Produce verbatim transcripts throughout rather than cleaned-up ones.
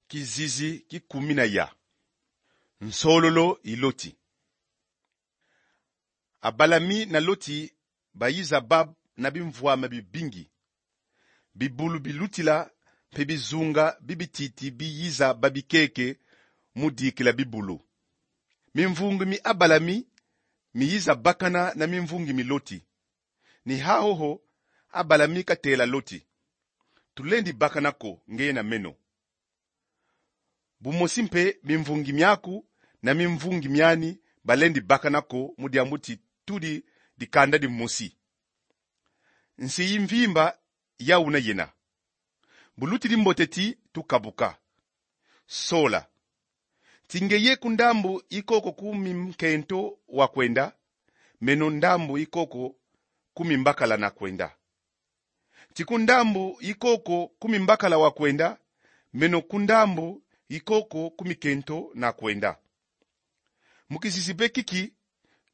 Kizizi ki kumi na ya. Nsololo i Loti. Abalami na Loti bayiza bab na bimvwama bibingi. Bibulu bilutila mpe bizunga bibititi biyiza babikeke mu dikila bibulu. Mimvungi mi Abalami miyiza bakana na mimvungi mi Loti. Ni hahoho Abalami katela Loti: Tulendi bakana ko, ngeye na meno. Bumosi mpe mimvungi miaku na mimvungi miani balendi bakana ko, mu diambu ti tudi dikanda dimosi. Nsi i mvimba ya una yena. Bu lutidi mbote ti tukabuka. Sola: Ti ngeye ku ndambu i koko ku minkento wa kwenda, meno ndambu i koko ku mimbakala na kwenda. Ti ku ndambu i koko ku mimbakala wa kwenda, meno ku ndambu i koko ku minkento na kwenda. Mu kizizi be kiki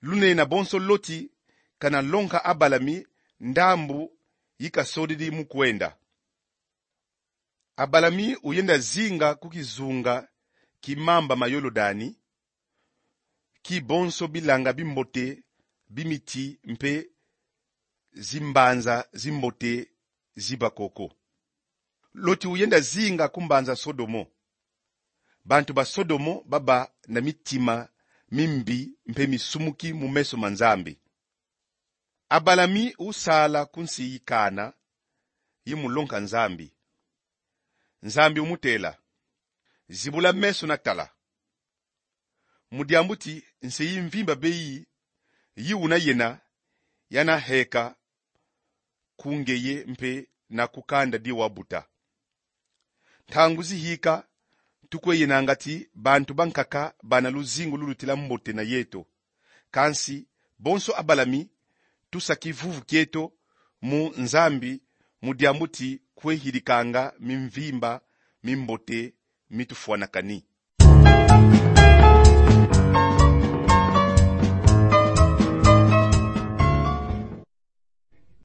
lunena bonso Loti kana lonka Abalami ndambu i kasodidi mu kwenda. Abalami uyenda zinga ku kizunga ki mamba ma Yolodani, ki bonso bilanga bimbote bi miti mpe zimbanza zimbote ziba koko. Loti uyenda zinga ku mbanza Sodomo. Bantu ba Sodomo baba na mitima mimbi mpe misumuki mu meso ma Nzambi. Abalami usala ku nsi i Kana, i mu lonka Nzambi. Nzambi umutela: Zibula meso na tala. Mu diambu ti nsi i mvimba be yi, yi una yena, yana heka ku ngeye mpe na ku kanda di wabuta. Ntangu zihika, tukwe yenanga ti bantu bankaka bana luzingu lulutila mbote na yeto. Kansi bonso Abalami tusa kivuvu kieto mu Nzambi, mu diambu ti kwe hidikanga mimvimba mimbote mitufwanakani.